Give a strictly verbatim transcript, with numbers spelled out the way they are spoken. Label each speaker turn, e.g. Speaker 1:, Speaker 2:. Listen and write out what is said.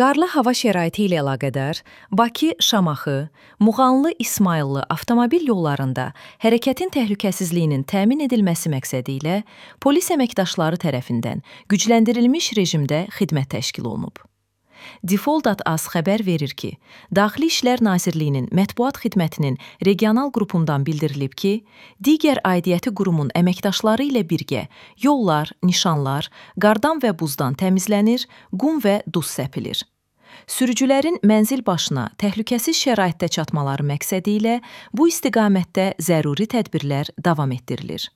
Speaker 1: Qarlı hava şəraiti ilə əlaqədar Bakı, Şamaxı, Muğanlı, İsmayıllı avtomobil yollarında hərəkətin təhlükəsizliyinin təmin edilməsi məqsədi ilə polis əməkdaşları tərəfindən gücləndirilmiş rejimdə xidmət təşkil olunub. Default.az xəbər verir ki, Daxili İşlər Nazirliyinin mətbuat xidmətinin regional qrupundan bildirilib ki, digər aidiyyəti qurumun əməkdaşları ilə birgə yollar, nişanlar qardan və buzdan təmizlənir, qum və duz səpilir. Sürücülərin mənzil başına təhlükəsiz şəraitdə çatmaları məqsədi ilə bu istiqamətdə zəruri tədbirlər davam etdirilir.